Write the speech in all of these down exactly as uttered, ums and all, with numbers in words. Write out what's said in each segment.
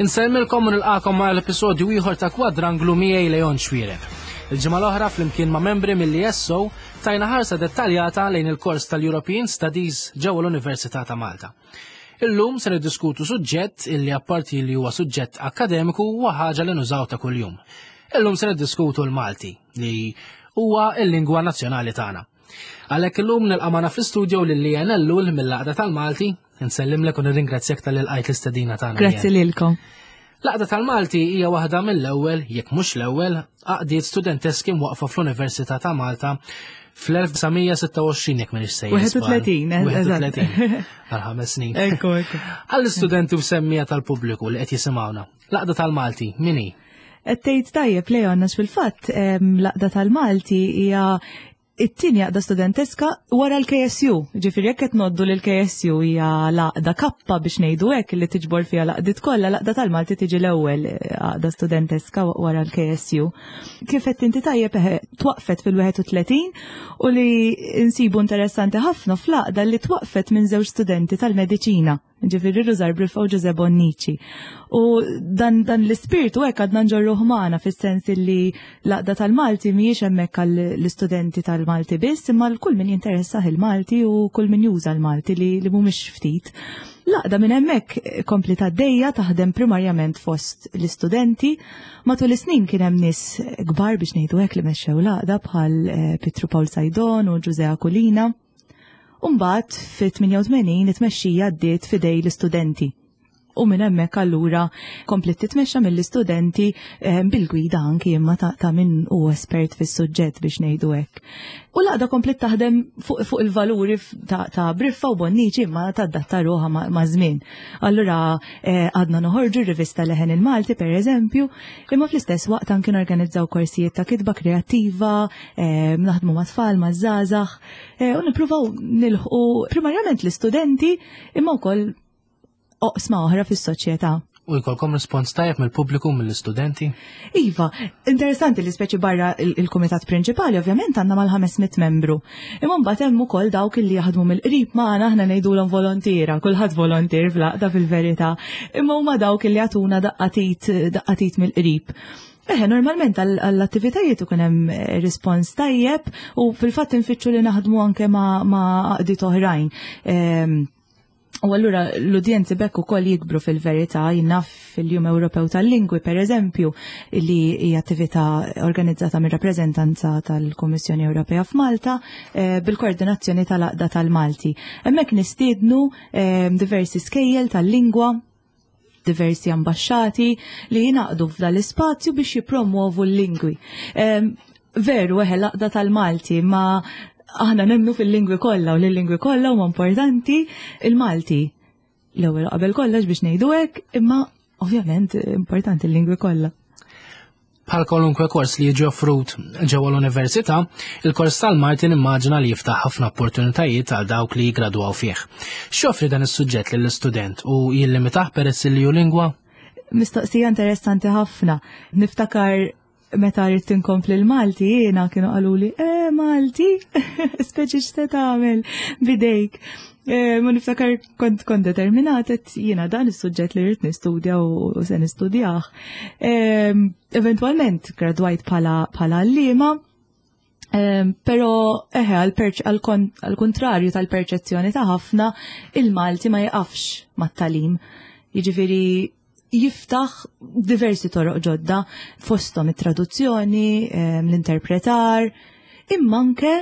Insellmilkom u nilqakom ma' l-episodju ieħor ta' Kwadranglu miegħi Leon Xuereb. Il-ġimgħa l-oħra flimkien ma' membri mill-E S O tajna ħarsa dettaljata lejn il-kors tal-European Studies ġewwa l-Università ta' Malta. Illum se niddiskutu suġġett illi, apparti li huwa suġġett akademiku, huwa ħaġa li nużaw ta' kuljum. Illum se niddiskutu l-Malti, li huwa l-lingwa nazzjonali tagħna. Għalhekk illum nilqa' magħna fl-istudio lil Leanne Ellul mill-Għaqda tal-Malti. Nsellimlek u nirringrazzjak talli lqajt l-istedina tagħna. Grazzi lilkom. L-Għaqda tal-Malti hija waħda mill-ewwel, jekk mhux l-ewwel, għaqdiet studenteski mwaqfa fl-Università ta' Malta fl-elf disa' mija sitta u għoxrin, jekk m'iniex sejjer. wieħed u tletin, eżatt. wieħed u tletin, għal ħames snin. Ekku, ekku. Għall-istudenti u semmiegħa tal-pubbliku li qed jisimgħuna, l-Għaqda tal-Malti min hi? Tgħid tajjeb, Leon, għax fil-fatt em, l-Għaqda tal-Malti hija it-tieni għaqda studenteska wara l-K S U. Ġifieri jekk qed ngħoddu li l-K S U hija l-għaqda kappa, biex ngħidu hekk, li tiġbor fiha l-għaqdiet kollha, l-Għaqda tal-Malti tiġi l-ewwel eh, għaqda studenteska wara l-K S U. Kif qed inti tajjeb, eħe, twaqfet fil-wieħed u tletin u li nsibu interessanti ħafna fl-għaqda li twaqfet minn żewġ studenti tal-mediċina. Ġifieri Rużar Briffa u Ġużè Bonnici. U dan, dan l-ispirtu hekk għadna nġorruh magħna, fis-sens li l-Għaqda tal-Malti mhijiex hemmhekk għall-istudenti tal-Malti biss, imma l-kull min jinteressah il-Malti u kull min juża l-Malti, li, li mhumiex ftit. L-għaqda minn hemmhekk kompli għaddejja taħdem primarjament fost l-istudenti. Matul is-snin kien hemm nies kbar, biex ngħidu hekk, li mexxew l-għaqda, bħal eh, Pietru Pawl Saydon u Ġużè Aquilina. Umbagħad fit-tmienja u tmenin it-tmexxija għaddiet f'idejn l-istudenti. U minn hemmhekk allura komplet titmexxa mill-istudenti eh, bil-gwida anki imma ta', ta min hu espert fis-suġġett, biex ngħidu hekk. U l-għaqda komplet taħdem fuq, fuq il-valuri f- ta', ta' Briffa u Bonnici, imma tadatta ruħha ma', ma żmien. Allura eh, għadna noħorġu rivista Leħen il-Malti, per eżempju, imma fl-istess waqt anki norganizzaw korsijiet ta' kitba kreattiva, eh, naħdmu ma' tfal, ma' żgħażagħ, eh, u nippruvaw nilħqu primarjament l-istudenti imma wkoll oqsma oħra fis-soċjetà. U jkollkom rispons tajjeb mill-pubbliku, mill-istudenti? Iva, interessanti li speċi barra il- il-kumitat prinċipali ovvjament għandna mal-ħames mitt membru. Imma mbagħad hemm ukoll dawk li jaħdmu mill-qrib magħna, aħna ngħidulhom volontiera, kulħadd volontier fl-għaqda fil-verità. Imma huma dawk li jagħtuna daqqa t'id daqqa t'id mill-qrib. Eħe, normalment għall-attivitajiet ikun hemm eh, rispons tajjeb u fil-fatt infittxu li naħdmu anke ma' ma' għaqdiet oħrajn. Ehm, U allura l-udjenzi bekk ukoll jikbru fil-verità. Jien naf fil-Jum Ewropew tal-Lingwi, per eżempju, li hija attività organizzata mir rappreżentanza tal-Kummissjoni Ewropea f'Malta eh, bil-koordinazzjoni tal-Għaqda tal-Malti. Hemmhekk nistiednu eh, diversi skejjel tal-lingwa, diversi ambasċati li jingħaqdu f'dal l-ispazju biex jipromuovu l-lingwi. Em, Veru, eħe, l-Għaqda tal-Malti, ma aħna nemmnu fil-lingwi kollha u l-lingwi kollha huma importanti, il-Malti l-ewwel qabel kollox, biex ngħidu hekk, imma ovvjament importanti l-lingwi kollha. Bħal kwalunkwe kors li jiġi offrut ġewwa l-università, il-kors tal-Malti nimmaġina li jiftaħ ħafna opportunitajiet għal dawk li jigradwaw fih. X'joffri dan is-suġġett lill-istudent u jillimitah peress li hu lingwa? Mistoqsija interessanti ħafna. Niftakar meta rrid inkompli l-Malti jiena, kienu qaluli, "Eh, Malti, speċi x'se tagħmel bidejk?" Eh, ma niftakar kont kont determinat, għedt jiena dan is-suġġett li rrid nistudja u se nistudjah. Eh, Eventualment gradwajt bħala bħala għalliema, Um, pero eħe, għal kontrarju tal-perċezzjoni ta' ħafna, il-Malti ma jaqafx mat-tagħlim. Jiġifieri jiftaħ diversi toroq ġodda, fosthom it-traduzzjoni, em, l-interpretar, imma anke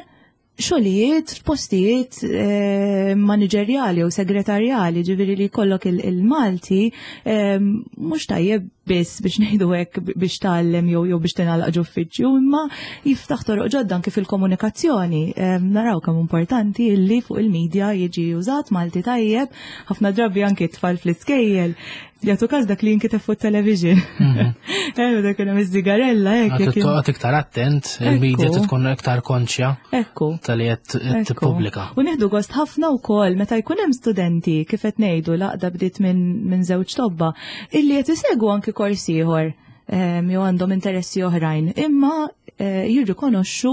xogħlijiet f'postijiet eh, maniġerjali u segretarjali, ġifieri li jkollok il- il-Malti eh, mhux tajjeb biss, biex ngħidu hekk, biex tgħallem jew jew biex tingħalaq ġo uffiċċju, imma jiftaħ toroq ġodda anke fil-komunikazzjoni. Eh, naraw kemm importanti illi fuq il-medja jiġi użat Malti tajjeb, ħafna drabi anke t-tfal fl-iskejjel jagħtu każ dak li jinkiteb fuq television. Eh, dak hemm iż-żigarella hekk. Għad jekk toqgħod iktar attent, il-media Ekku. tkun iktar konxja Ekku. tal-li qed Ekku. tippubblika. U nieħdu gost ħafna wkoll meta jkun hemm studenti, kif qed ngħidu, l-għaqda bdiet minn min żewġ tobba, illi qed isegwu anki kors ieħor. jew għandhom interessi oħrajn, imma eh, jirrikonoxxu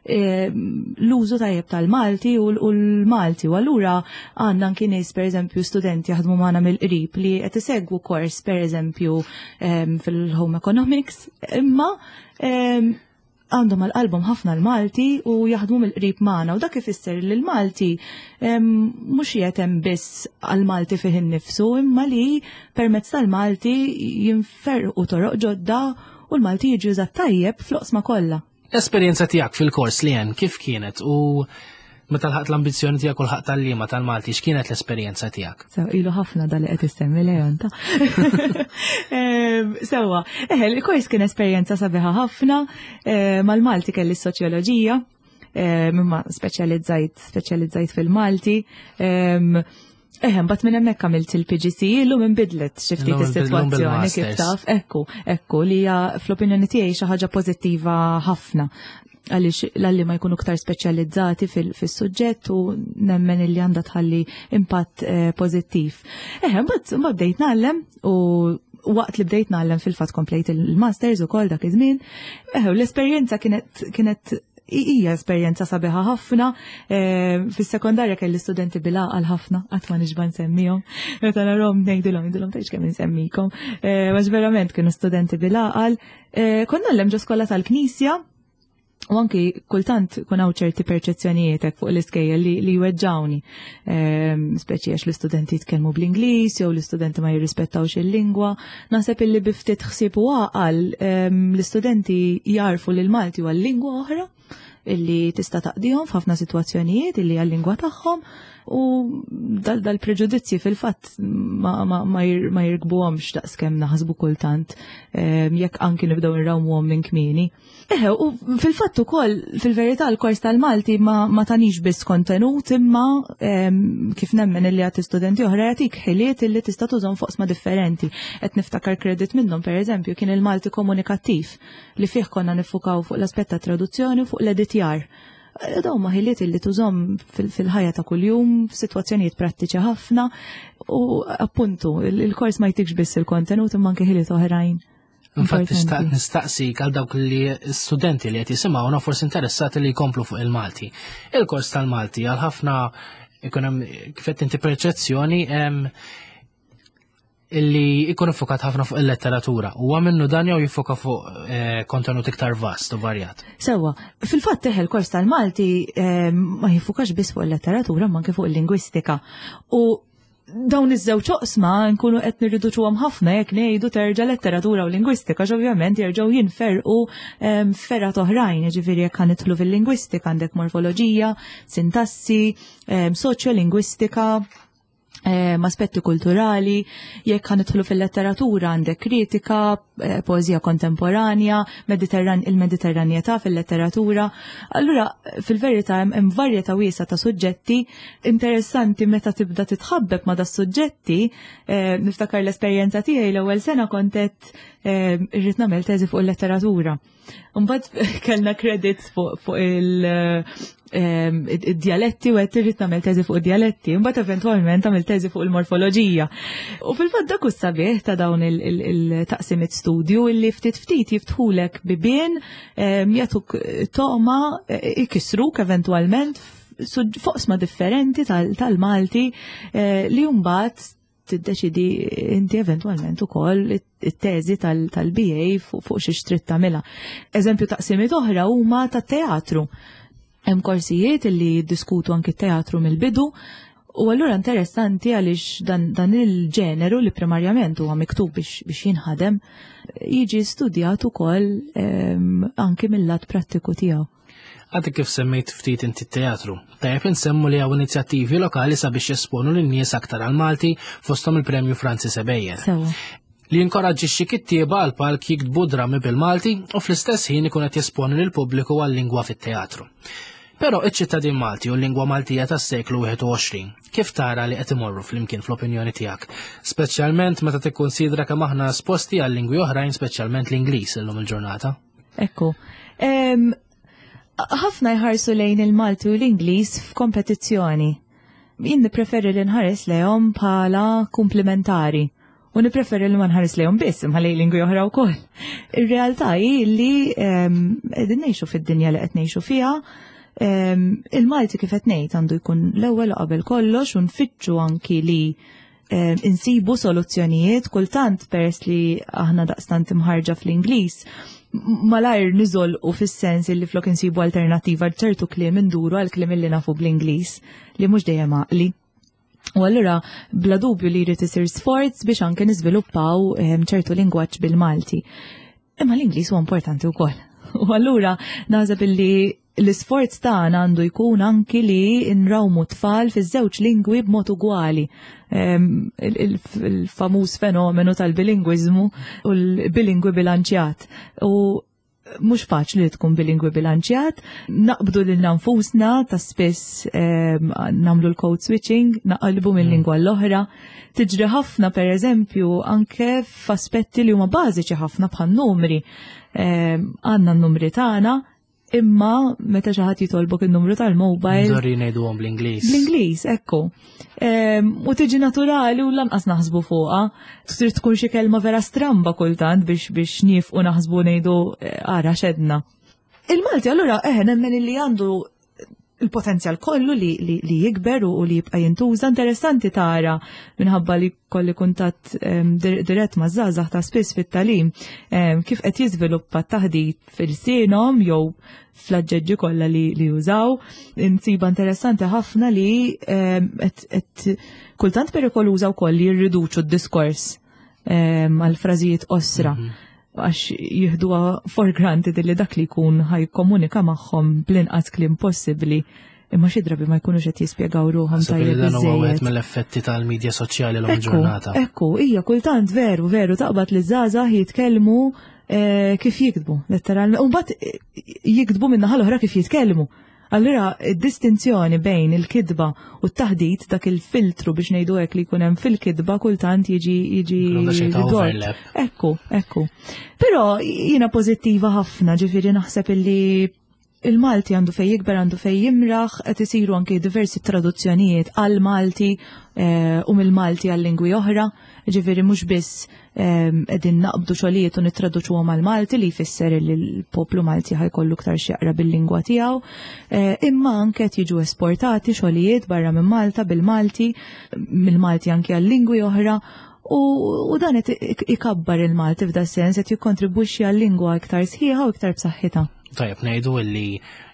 l-użu tajjeb tal-Malti u l-Malti. U allura għandna anki nies, pereżempju studenti jaħdmu magħna mill-qrib li qed isegwu kors, pereżempju, fil-Home Economics, imma għandhom għal qalbhom ħafna l-Malti u jaħdmu mill-qrib magħna, u dak ifisser li l-Malti mhux qiegħed hemm biss għall-Malti fih innifsu, imma li permezz tal-Malti jinferqu toroq ġodda u l-Malti jiġi użat tajjeb fl-oqsma kollha. L-esperjenza tiegħek fil-kors li hemm kif kienet u meta lħaqt l-ambizzjoni tiegħek u lħaqt tal-liema tal-Malti, x'kienet l-esperjenza tiegħek? Sew, ilu ħafna dal li qed issemmi, Leon, ta. Sewwa, eħe, il-kors kien esperjenza sabiħa ħafna, mal-Malti kelli s-soċjoloġija, imma speċjalizzajt speċjalizzajt fil-Malti. Eħe, mbagħad minn hemmhekk għamilt il-P G C E, illum inbidlet xi ftit is-sitwazzjoni, kif taf. Ekku, ekku, li hija fl-opinjoni tiegħi xi ħaġa pożittiva ħafna għaliex l-għalliema jkunu ktar speċjalizzati fil-suġġett u nemmen illi għandha tħalli impatt eh, pożittiv. Eħe, mbagħad bdejt ngħallem u waqt li bdejt ngħallem fil-fatt komplejt il-masters ukoll dak iż-żmien. Eħe, l-esperjenza kienet kienet hija esperjenza sabiħa ħafna. Eh, fis-sekondarja kelli studenti bil-għaqal ħafna, qatt ma nixba nsemmihom. Meta narhom ngħidilhom, ngħidilhom tgħidx kemm insemmikom. Eh, għax verament kienu studenti bil-għaqal. Konna ngħallem ġo skola tal-Knisja, u anki kultant kun hawn ċerti perċezzjonijiet fuq l-iskejjel li, li jweġġawni. Ehm, speċi għax l-istudenti jitkellmu bl-Ingliż jew l-istudenti ma jirrispettawx il-lingwa. Naħseb illi bi ftit ħsieb u għaqal ehm, l-istudenti jarfu li l-Malti huwa lingwa oħra illi tista' taqdihom f'ħafna sitwazzjonijiet, illi hija l-lingwa tagħhom, u dal dal-preġudizzji fil-fatt ma, ma, ma, jir, ma jirkbuhomx daqskemm naħsbu kultant ehm, jekk anki nibdew nrawmuhom minn kmieni. Eħe, u fil-fatt ukoll fil-verità l-kors tal-Malti ma, ma tanix biss kontenut, imma ehm, kif nemmen illi għat studenti oħra, jagħtik ħiliet illi tista' tużhom f'oqsma differenti. Qed niftakar credit minnhom, pereżempju, kien il-Malti komunikattiv li fih konna niffukaw fuq l-aspett ta' traduzzjoni u fuq l-editjar. Dawn huma ħiliet illi tużhom fil-ħajja ta' kuljum f'sitwazzjonijiet prattiċi ħafna u appuntu il-kors ma jtikx biss il-kontenut imma anke ħiliet oħrajn. Infatti nistaqsik għal dawk li studenti li qed jisimgħuna forsi interessati li jkomplu fuq il-Malti. Il-kors tal-Malti għal ħafna ikun hemm, kif qed inti, perċezzjoni illi ikun iffokat ħafna fuq il-letteratura. Huwa minnu dan jew jiffoka fuq eh, kontenut iktar vast u varjat? Sewwa, fil-fatt teħel kors tal-Malti eh, ma jiffukax biss fuq il-letteratura ma anke fuq il-lingwistika. U dawn iż-żewġ oqsma nkunu qed nirriduċuhom ħafna jekk ngħidu terġa' letteratura u lingwistika, għax ovvjament jerġgħu jinferqu ehm, fergħat oħrajn, jiġifieri jekk nidħlu fil-lingwistika għandek morfoloġija, sintassi, ehm, soċjolingwistika, ehm, aspetti kulturali, jekk ħa nidħlu fil-letteratura għandek kritika, eh, poezija kontemporanja, Mediterran, il-Mediterranjetà fil-letteratura. Allura, fil-verità hemm varjetà wiesgħa ta' suġġetti interessanti meta tibda titħabbeb ma' da suġġetti. eh, niftakar l-esperjenza tiegħi l-ewwel sena kont qed eh, irrid nagħmel teżi fuq il-letteratura. Mbagħad kellna credits fuq fuq il- ehm, id-dialetti u għedt irrid nagħmel teżi fuq id-dialetti, mbagħad eventwalment għamilt teżi fuq il-morfoloġija. U fil-fatt dak sabiħ ta' dawn il-taqsimiet studju illi ftit ftit jiftħulek bibien, ehm, jagħtuk toma, ikissruk eventwalment f'oqsma differenti tal-Malti eh, li mbagħad tiddeċidi inti eventwalment ukoll it-teżi tal-B A fuq xi trid tagħmilha. Eżempju, taqsimiet oħra huma tat-teatru. Hemm korsijiet illi jiddiskutu anki teatru mill-bidu. U allura interessanti għaliex dan, dan il-ġeneru li primarjament huwa miktub biex, biex jinħadem jiġi studjat ukoll anki mill-lat prattiku tiegħu. Għadek kif semmejt ftit inti teatru. Tajjeb insemmu li hawn inizjattivi lokali sabiex jesponu lin-nies aktar għal-Malti, fosthom il-Premju Francis Ebejer, li jinkoraġġixxi kittieba għal palk jiktbu drammi bil-Malti u fl-istess ħin ikun qed jesponi lil pubbliku għal-lingwa fit-teatru. Però iċ-ċittadin Malti u l-lingwa Maltija tas-seklu wieħed u għoxrin kif tara li qed imorru flimkien fl-opinjoni tiegħek, speċjalment meta tikkunsidra kemm aħna esposti għal lingwi oħrajn, speċjalment l-Ingliż illum il-ġurnata? Ekku. Ħafna jħarsu lejn il-Malti u l-Ingliż f'kompetizzjoni. Jien nippreferi li nħares lejhom bħala komplementari. U nippreferi li ma nħares lejhom biss, imma lejn lingwi oħra wkoll. Ir-realtà hi li qegħdin ngħixu fid-dinja li qed ngħixu fiha. Il-Malti, kif qed ngħid, għandu jkun l-ewwel qabel kollox u nfittxu anki li insibu soluzzjonijiet. Kultant, peress li aħna daqstant imħarġa fl-Ingliż, malajr niżolqu fis-sens li flok insibu alternativa ċertu kliem induru għal kliem li nafu bl-Ingliż, li mhux dejjem għaqli. U allura bla dubju li jrid isir sforz biex anke niżviluppaw ċertu lingwaġġ bil-Malti. Imma l-Ingliż huwa importanti wkoll. U allura naħseb illi l-isforz tagħna għandu jkun anki li nrawmu tfal fiż-żewġ lingwi b'mod ugwali. Il-famuż fenomenu tal-bilingwiżmu u l-bilingwi bilanċjat. U mhux faċli li tkun bilingwi bilanċjat, naqbdu lil nfusna ta' spiss nagħmlu l-code switching, naqalbu minn lingwa l-oħra. Tiġri ħafna, per eżempju, anke f'aspetti li huma bażiċi ħafna bħal numri. Għandna n-numri tagħna, imma meta xi ħadd jitolbok il-numru tal-mobile. Żorri ngħiduhom bl-Ingliż. Bl-Ingliż, ekku. U tiġi naturali u lanqas naħsbu fuqha. Trid tkun xi kelma vera stramba kultant biex biex nieqfu naħsbu, ngħidu eh, ara x'għedna. Il-Malti allura eħe nemmen li għandu il-potenzjal kollu li, li, li jikber u li jibqa' jintuża. Interessanti tara, minħabba li kolli kuntatt um, dirett ma' żgħażagħ ta' spiss fit-tagħlim, um, kif qed jiżviluppa t-taħdit fil-sinom jew fl-aġġeġġi kollha li, li jużaw. Insiba interessanti ħafna li um, et, et, kultant perikoluża wkoll li jirriduċu d-diskors għal frażijiet qosra. Mm -hmm għax jieħduha for granted li dak li jkun ħa jikkomunika magħhom bl-inqas kliem possibbli, imma xi drabi ma jkunux qed jispjegaw ruħhom tajjeb. Dan huwa wieħed mill-effetti tal-medja soċjali l ġurnata. Ekku, hija kultant veru, veru taqbad li żgħażagħ jitkellmu eh, kif jiktbu, letteralment. U mbagħad eh, jiktbu minn naħa l-oħra kif jitkellmu. Allura, id-distinzjoni bejn il-kitba u t-taħdit, dak il-filtru biex ngħidu hekk li jkun hemm fil-kitba, kultant jiġi jiġi Ekku, ekku. Però jiena pożittiva ħafna, ġifieri naħseb illi il-Malti għandu fej jikber, għandu fej jimraħ, qed isiru anke diversi traduzzjonijiet għal Malti eh, u mill-Malti għal lingwi oħra, ġifieri mhux biss qegħdin naqbdu xogħlijiet u nittraduċuhom għal Malti, li jfisser li l-poplu Malti ħa jkollu iktar x'jaqra bil-lingwa tiegħu, eh, imma anke qed jiġu esportati xogħlijiet barra minn Malta bil-Malti, mill-Malti anke għal lingwi oħra. U, u dan qed ikabbar il-Malti f'da sens, qed jikkontribwixxi għal lingwa iktar sħiħa u iktar b'saħħitha. Tajjeb ngħidu illi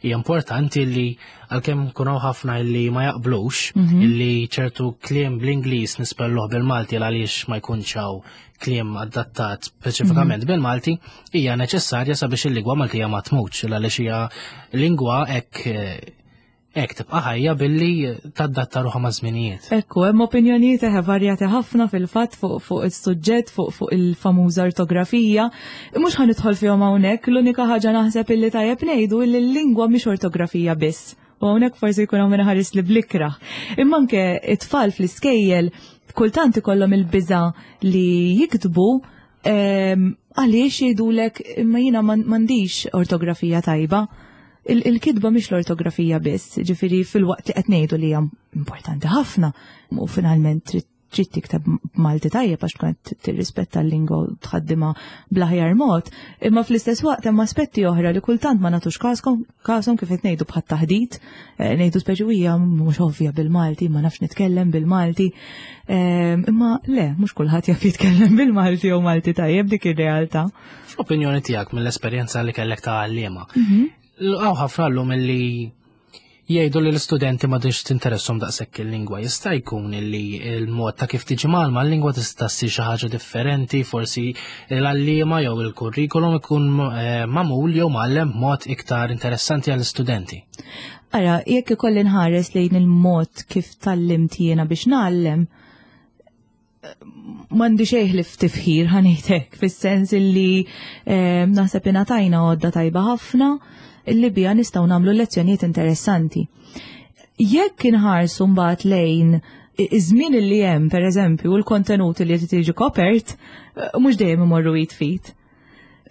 hija importanti li għalkemm kunaw ħafna illi ma jaqblux mhm. illi ċertu kliem bl-Ingliż nispelluh bil-Malti għaliex ma jkunx hawn kliem adattat speċifikament mhm. bil-Malti, hija neċessarja sabiex il-lingwa Maltija ma tmutx, għaliex hija lingwa hekk hekk tibqa' ħajja billi tadatta ruħha ma' żminijiet. Ekku, hemm opinjonijiet eħe varjati ħafna fil-fatt fuq fuq is-suġġett, fuq fuq il-famuża ortografija. Mhux ħa nidħol fihom hawnhekk, l-unika ħaġa naħseb illi tajjeb ngħidu li l-lingwa mhix ortografija biss. U hawnhekk forsi jkun hawn ħares li bl-ikrah. Imma anke it-tfal fl-iskejjel kultant ikollhom il-biża li jiktbu, għaliex jgħidulek imma jiena m'għandix ortografija tajba. Il-kitba mhix l-ortografija biss, ġifieri fil-waqt li qed ngħidu li hija importanti ħafna u finalment trid trid tikteb Malti tajjeb għax tkun qed tirrispetta l-lingwa u tħaddimha bl-aħjar mod, imma fl-istess waqt hemm aspetti oħra li kultant ma nagħtux kaskom kasom, kif qed ngħidu bħat taħdit, eh, ngħidu speċi hija mhux ovvja bil-Malti, ma nafx nitkellem bil-Malti. Eh, Imma le, mhux kulħadd jaf jitkellem bil-Malti jew Malti tajjeb, dik ir-realtà. Fl-opinjoni tiegħek, mill-esperjenza li kellek ta' għalliema, hawn ħafna llum illi jgħidu li l-istudenti ma tantx tinteressom daqshekk il-lingwa. Jista' jkun illi il-mod ta' kif tiġi mgħallma l-lingwa tista' ssir xi ħaġa differenti, forsi l-għalliema jew il-kurrikulum ikun eh, magħmul jew mgħallem b'mod iktar interessanti għall-istudenti. Ara, jekk ikolli nħares lejn il-mod kif tgħallimt jiena biex ngħallem, m'għandi xejn li tifħir, ħa ngħidlek, fis-sens illi eh, naħseb ingħatajna għodda tajba ħafna illi bija nistgħu nagħmlu lezzjonijiet interessanti. Jekk inħarsu mbagħad lejn iż-żmien li hemm, pereżempju, u l-kontenut li qed tiġi kopert, eh, mhux dejjem imorru id f'id.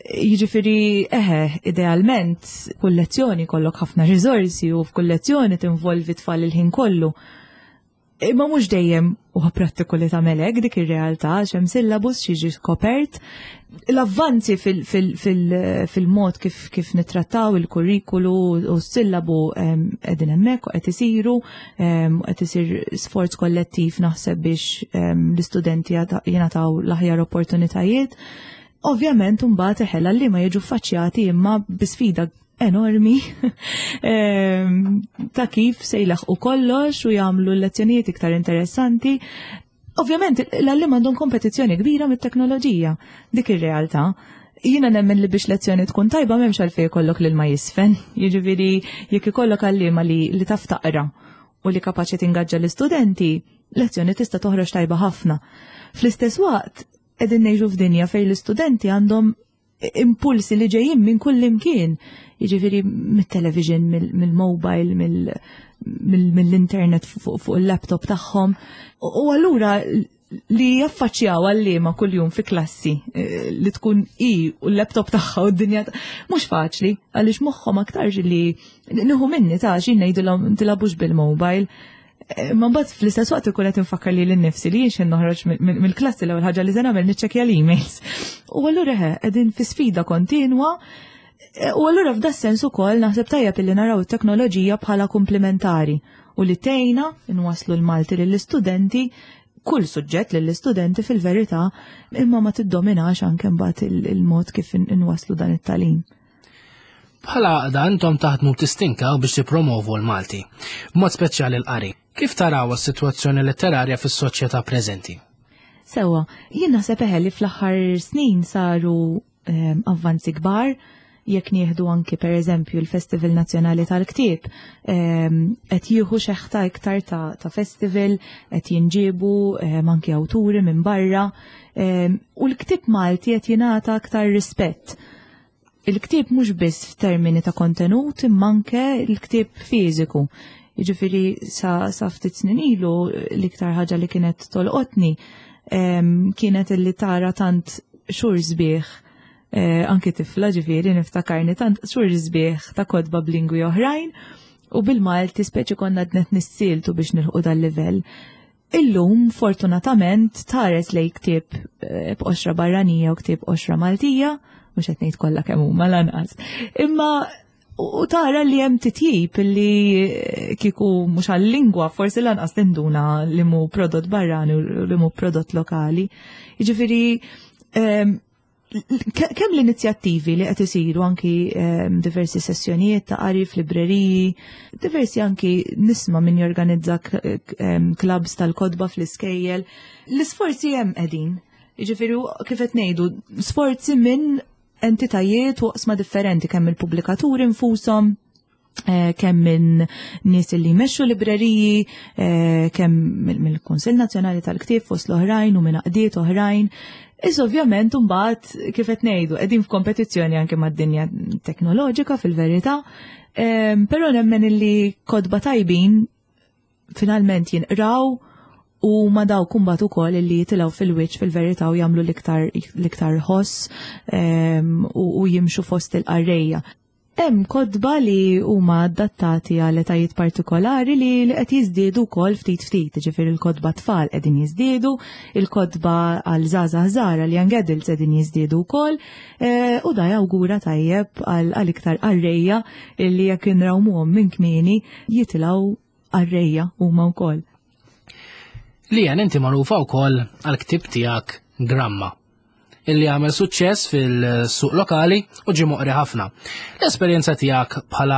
Jiġifieri, eħe, idealment, kull lezzjoni jkollok ħafna riżorsi u f'kull lezzjoni tinvolvi tfal il-ħin kollu. Imma mhux dejjem huwa prattiku li tagħmel hekk, dik ir-realtà, għax hemm syllabus jiġi skopert. L-avvanzi fil-mod kif kif nittrattaw il-kurrikulu u s-sillabu qegħdin hemmhekk u qed isiru, qed isir sforz kollettiv, naħseb, biex l-istudenti jingħataw l-aħjar opportunitajiet. Ovvjament, mbagħad eħela li ma jiġu faċċjati imma bi sfida enormi ta' kif se jlaħqu kollox u jagħmlu l-lezzjonijiet iktar interessanti. Ovvjament, l-għalliema għandhom kompetizzjoni kbira mit-teknoloġija, dik ir-realtà. Jiena nemmen li biex lezzjoni tkun tajba m'hemmx għalfejn ikollok lil ma jisfen. Jiġifieri jekk ikollok għalliema li, li taf taqra u li kapaċi tingaġġa l-istudenti, lezzjoni tista' toħroġ tajba ħafna. Fl-istess waqt, qegħdin ngħixu f'dinja fejn l-istudenti għandhom impulsi li ġejjin minn kull imkien. Jiġifieri mit-television, mill-mobile, mill-internet fuq il-laptop tagħhom. U allura li jaffaċċjaw għalliema kuljum fi klassi eh, li tkun i u l-laptop tagħha u d-dinja, mhux faċli, għaliex moħħhom aktar li nieħu minni ta' xi ngħidilhom tilagħbux bil-mobile. Eh, ma mbagħad fl-istess waqt ikun qed infakkar li lin-nifsi li jien noħroġ mill-klassi, l-ewwel ħaġa li se nagħmel niċċekkja l-emails. U allura qegħdin fi sfida kontinwa. Eh, u allura f'da sens ukoll naħseb tajjeb illi naraw it-teknoloġija bħala komplementari u li tgħinna nwaslu l-Malti lill-istudenti, kull suġġett lill-istudenti fil-verità, imma ma tiddominax anke mbagħad il-mod kif inwaslu dan it-tagħlim. Bħala għaqda intom taħdmu tistinkaw biex tippromovu l-Malti, b'mod speċjali l-qari. Kif taraw is-sitwazzjoni letterarja fis-soċjetà preżenti? Sewa, jien naħseb eħe li fl-aħħar snin saru ehm, avvanzi kbar, jekk nieħdu anki per eżempju l-Festival Nazzjonali tal-Ktieb, ehm, qed jieħu xeħta iktar ta', ta festival, qed jinġiebu ehm, anki awturi minn barra, ehm, u l-ktieb Malti qed jingħata aktar rispett. Il-ktieb mhux biss f'termini ta' kontenut, imma anke l-ktieb fiżiku. Jiġifieri sa, sa ftit snin ilu l-iktar ħaġa li kienet tolqotni kienet illi tara tant xhur sbieħ, eh, anki tifla ġifieri niftakarni, tant xhur sbieħ ta' kotba b'lingwi oħrajn u bil-Malti speċi konna qed nissieltu biex nilħqu dal-livell. Illum, fortunatament, tħares lej ktieb eh, b'qoxra barranija u ktieb qoxra Maltija, mhux qed ngħid kollha kemm huma lanqas. Imma u tara li hemm titjib li eh, kieku mhux għal-lingwa forsi lanqas tinduna li mhu prodott barrani u li mhu prodott lokali. Jiġifieri ehm, kemm l-inizjattivi li qed isiru, anki ehm, diversi sessjonijiet ta' qari f'libreriji, diversi anki nisma' min jorganizza ehm, clubs tal-kotba fl-iskejjel, l-isforzi hemm qegħdin. Jiġifieri kif qed ngħidu, sforzi minn entitajiet u oqsma differenti, kemm il-pubblikaturi infushom, eh, kemm minn nies li jmexxu libreriji, eh, kemm mill-Kunsill Nazzjonali tal-Ktieb fost l-oħrajn u minn għaqdiet oħrajn. Is ovvjament mbagħad, kif qed ngħidu, qegħdin f'kompetizzjoni anke mad-dinja teknoloġika fil-verità, eh, però nemmen illi kotba tajbin finalment jinqraw u ma dawk imbagħad ukoll illi jitilgħu fil-wiċċ fil-verità u jagħmlu l-iktar l-iktar ħoss ehm, u, u jimxu fost il-qarrejja. Hemm kotba li huma adattati għal etajiet partikolari li li qed jiżdiedu wkoll ftit ftit, ġifieri il-kotba tfal qegħdin jiżdiedu, il-kotba għal żgħażagħ żgħar, għal young adults, qegħdin jiżdiedu wkoll, eh, u da jawgura tajjeb għal għal iktar qarrejja li jekk inrawmuhom minn kmieni jitilgħu qarrejja huma wkoll. Leanne, inti magħrufa wkoll għal ktieb tiegħek Gramma, illi għamel suċċess fil-suq lokali u ġie moqri ħafna. L-esperjenza tiegħek bħala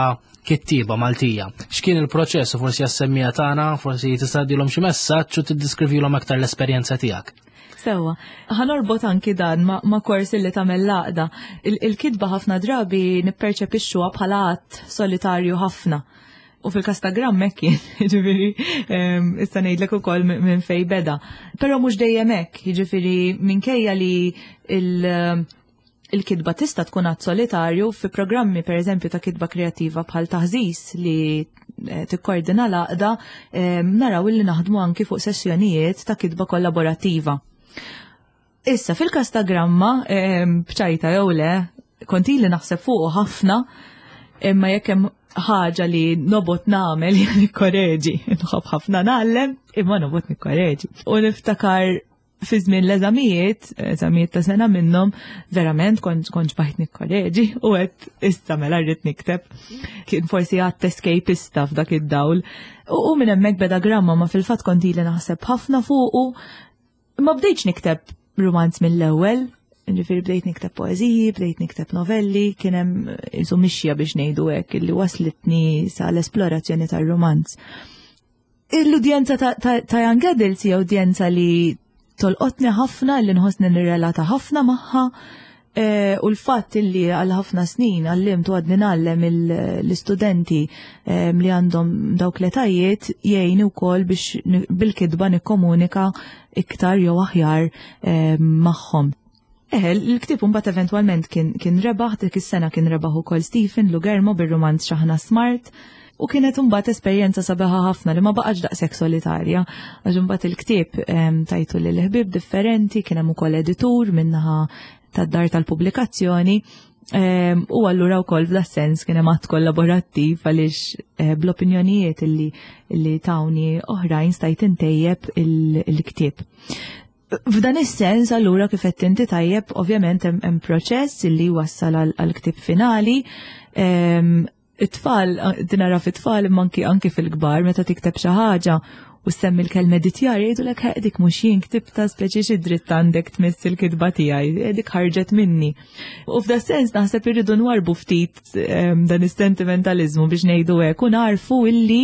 kittiba Maltija, x'kien il-proċess u forsi għas-semmiegħa tagħna, forsi tista' tgħaddilhom xi messaġġ u tiddeskrivilhom aktar l-esperjenza tiegħek? Sewa, ħa norbot anki dan ma, ma kors li tagħmel l-għaqda. Il-kitba ħafna drabi nipperċepixxuha bħala att solitarju ħafna. U fil-każ ta' Gramma hekk kien, jiġifieri, issa ngħidlek ukoll minn fej beda. Però mhux dejjem hekk, jiġifieri minkejja li il- il-kitba tista' tkun att solitarju, fi programmi per eżempju ta' kitba kreativa bħal Taħżiż li eh, tikkordina l-għaqda, naraw li naħdmu anki fuq sessjonijiet ta' kitba kollaborattiva. Issa fil-każ ta' Gramma, bċajta jew le, kont ili naħseb fuq ħafna, imma jekk hemm Ħaġa li nobgħod nagħmel hija nikkoreġi. Nħobb ħafna ngħallem, imma nobgħod nikkoreġi. U niftakar fi żmien l-eżamijiet, eżamijiet ta' sena minnhom, verament kont kont xbajt nikkoreġi u għedt issa mela rrid nikteb. Kien forsi għadt escapista f'dak id-dawl. U, u minn hemmhekk beda Gramma, ma fil-fatt kont ili naħseb ħafna fuqu. Ma bdejtx nikteb romanz mill-ewwel, ġifieri bdejt nikteb poeżiji, bdejt nikteb novelli, kien hemm isu mixja biex ngħidu hekk illi waslitni sa l-esplorazzjoni tar-romanz. L-udjenza ta', ta, ta' young adults hija udjenza li tolqotni ħafna, li nħossni nirrelata ħafna magħha. E, u l-fatt illi għal ħafna snin għallimt u għadni ngħallem l-istudenti li għandhom dawk l-etajiet jgħini wkoll biex bil-kitba nikkomunika iktar jew aħjar magħhom. Eħe, l-ktieb mbagħad eventwalment kien, kien rebaħ, dik is-sena kien rebaħ ukoll Stephen Lugermo bir-romanz Xaħna Smart. U kienet mbagħad esperjenza sabiħa ħafna li ma baqgħetx daqshekk solitarja. Għax imbagħad il-ktieb tajtu lil ħbieb differenti, kien hemm ukoll editur minnaħa tad-dar tal-pubblikazzjoni. U allura wkoll f'da sens kien hemm att kollaborattiv għaliex eh, bl-opinjonijiet illi, illi tawni oħrajn stajt intejjeb il-ktieb. F'dan is-sens allura kif qed inti tajjeb, ovvjament hemm proċess illi wassal għal ktieb finali. It-tfal, dinara fit-tfal imma anki anki fil-kbar, meta tikteb xi ħaġa u semmi l-kelma editjar, jgħidulek, "Dik mhux jien ktibta, speċi xi dritt għandek tmiss il-kitba tiegħi, dik ħarġet minni." U f'da sens naħseb irridu nwarbu ftit dan is-sentimentalizmu biex ngħidu hekk u narfu illi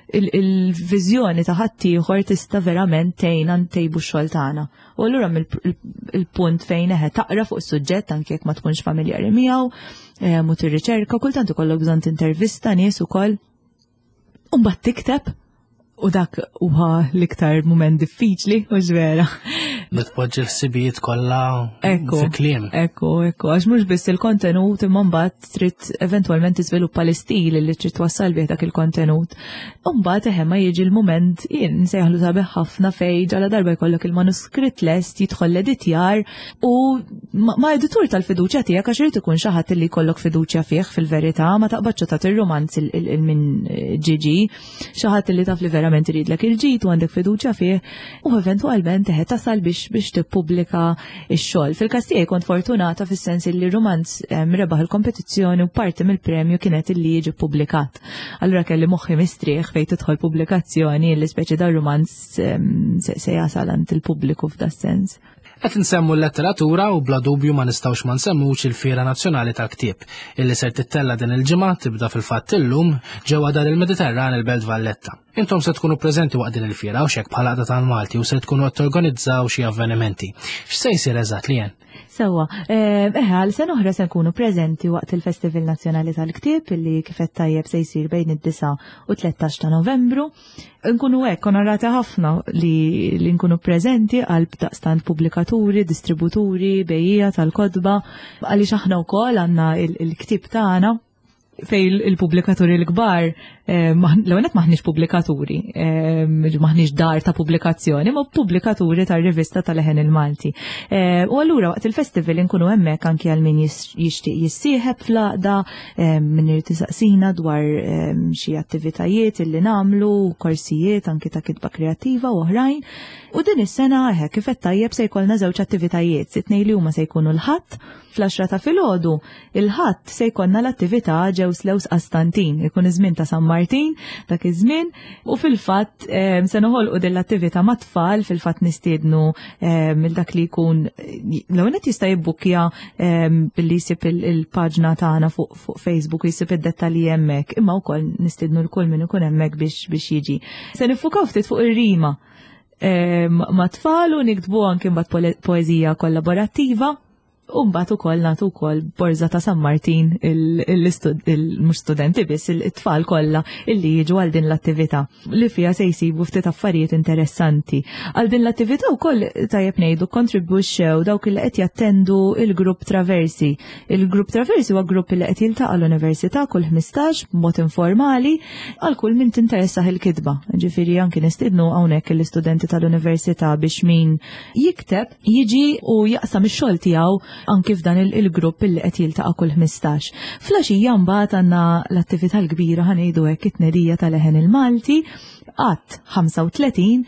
il-viżjoni ta' ħaddieħor tista' verament tgħinna ntejbu x-xogħol tagħna. U allura il-punt fejn eħe taqra fuq is-suġġett anke jekk ma tkunx familjari miegħu, u tirriċerka, kultant ikollok bżonn tintervista nies ukoll. U mbagħad tikteb u dak huwa l-iktar mument diffiċli, u vera. Li tpoġġi l-ħsibijiet kollha Ekku, fi kliem. Ekku, ekku, għax mhux biss il-kontenut imma mbagħad trid eventwalment tiżviluppa l-istil li trid twassal bih dak il-kontenut. U mbagħad eħe ma jiġi l-mument jien nsejħlu sabiħ ħafna fej ġala darba jkollok il-manuskritt lest, jidħol l-editjar u ma' editur tal-fiduċja tiegħek, għax irid ikun xi ħadd li jkollok fiduċja fih fil-verità, ma taqbadx tagħti ir-romanz il-min ġiġi, xi ħadd li taf li verament iridlek il-ġid u għandek fiduċja fih u eventwalment eħe tasal biex biex tippubblika x-xogħol. Fil-każ tiegħi kont fortunata fis-sens li romanz rebaħ il-kompetizzjoni u parti mill-premju kienet illi jiġi ppubblikat. Allura kelli moħħi mistrieħ fejn tidħol pubblikazzjoni li speċi dar romanz se jasal għand il-pubbliku f'da sens. Qed nsemmu l-letteratura u bla dubju ma nistgħux ma nsemmux il-Fiera Nazzjonali tal-Ktieb illi ser tittella din il-ġimgħa, tibda fil-fatt illum, ġewwa Dar il-Mediterran, il-Belt Valletta. Intom se tkunu preżenti waqt din il-fiera u xek bħala Għaqda tal-Malti u se tkunu qed torganizzaw xi avvenimenti. X'se jsir eżatt li jen? Sewwa, eh, eħe, għal sena oħra se nkunu preżenti waqt il-Festival Nazzjonali tal-Ktieb illi kif qed tajjeb se jsir bejn id-disa u tlettax ta' Novembru. Nkunu hekk onorati ħafna li, li nkunu preżenti għal daqstant pubblikaturi, distributuri, bejjiegħa tal-kotba, għaliex aħna wkoll għandna il-ktieb tagħna fej il-pubblikaturi l-kbar, eh, l-għonet maħniex pubblikaturi, eh, maħniex dar ta' pubblikazzjoni, ma pubblikaturi ta' rivista tal-Leħen il-Malti. Eh, u allura waqt il-festival nkunu hemmhekk anki għal min jixtieq jissieħeb fl-għaqda, min irid isaqsina dwar xi attivitajiet illi nagħmlu, korsijiet anki ta' kitba kreattiva u oħrajn. U din is-sena eħe kif qed tajjeb se jkollna żewġ attivitajiet, it-tnejn li huma se jkunu l-Ħadd fl-għaxra ta' filgħodu. Il-Ħadd se jkollna l-attività Ġew Slews Qastantin, ikun iż-żmien ta' San Martin dak iż-żmien, u fil-fatt se noħolqu din l-attività mat-tfal, fil-fatt nistiednu il dak li jkun l-ewwel jista' jibbukkja billi jsib il-paġna tagħna fuq Facebook u jsib id-dettalji hemmhekk, imma wkoll nistiednu lil kull min ikun hemmhekk biex biex jiġi. Se niffukaw ftit fuq ir-rima ma' tfal u niktbu anke mbagħad poeżija kollaborattiva. U mbagħad ukoll nagħtu wkoll borża ta' San Martin il-mhux studenti biss, it-tfal kollha illi jiġu għal din l-attività li fiha se jsibu ftit affarijiet interessanti. Għal din l-attività wkoll tajjeb ngħidu kontribwixxew dawk li qed jattendu il-grupp Traversi. Il-grupp Traversi huwa grupp li qed jiltaqa' l-università kull ħmistax b'mod informali għal kull min tinteressah il-kitba. Ġifieri anki nistiednu hawnhekk l-istudenti tal-università biex min jikteb jiġi u jaqsam ix-xogħol tiegħu. anki f'dan il-grupp illi qed jiltaqa' kull ħmistax. Filgħaxija mbagħad għandna l-attività l-kbira, ħa ngħidu hekk, it-tnedija tal-Leħen il-Malti, għadd ħamsa u tletin,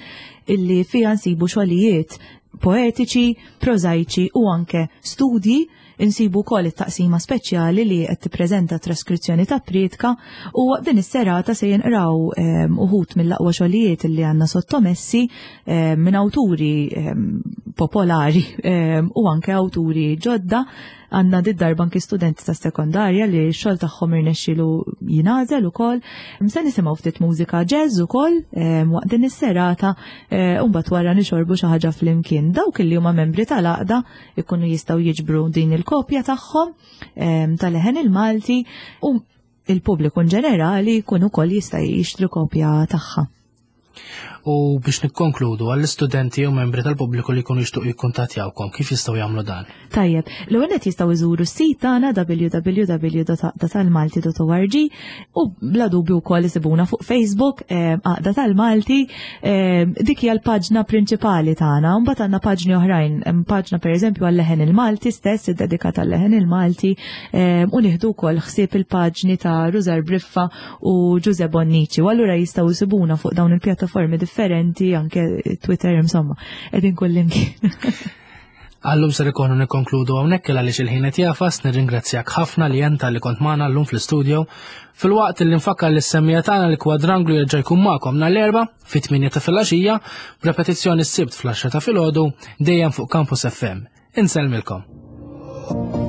illi fija nsibu xogħlijiet poetiċi, prożajċi u anke studji. Insibu wkoll it-taqsima speċjali li qed tippreżenta traskrizzjoni ta' priedka u din is-serata se jinqraw ehm, uħud mill-aqwa xogħlijiet li għandna sottomessi ehm, minn awturi ehm, popolari u anke awturi ġodda. Għandna did-darba anki studenti ta' sekondarja li x-xogħol tagħhom irnexxielu jingħażel ukoll. Se nisimgħu ftit mużika jazz ukoll waqt din is-serata eh, u mbagħad wara nixorbu xi ħaġa flimkien. Dawk li huma membri tal-għaqda ikunu jistgħu jiġbru din il-kopja tagħhom tal-Leħen il-Malti u il-pubbliku in ġenerali jkun ukoll jista' jixtri kopja tagħha. U biex nikkonkludu, għall-istudenti u membri tal-pubbliku li jkunu jixtuq jikkuntattjawkom, kif jistgħu jagħmlu dan? Tajjeb, l-ewwel qed jistgħu jżuru s-sit tagħna w w w punt għaqdatalmalti punt org u bla dubju wkoll isibuna fuq Facebook, eh, Għaqda tal-Malti, eh, dik hija l-paġna prinċipali tagħna. Mbagħad għandna paġni oħrajn, hemm paġna pereżempju għal-Leħen il-Malti stess, iddedikata għal-Leħen il-Malti, eh, u nieħdu wkoll ħsieb il-paġni ta' Rużar Briffa u Ġuże Bonnici. U allura jistgħu jsibuna fuq dawn il-pjattaformi differenti, anke Twitter, insomma, qegħdin kullimkien. Għallum ser ikonu nikkonkludu hawnhekk għaliex il-ħin qed jagħfas. Nirringrazzjak ħafna li jenta li kont magħna llum fl-istudio. Filwaqt li nfakkar lis-semmiegħa tagħna li Kwadranglu jerġa' jkun magħkom nhar l-Erbgħa fit-tmienja ta' filgħaxija, b'repetizzjoni s-Sibt fl-għaxra ta' filgħodu, dejjem fuq Campus F M. Insellmilkom.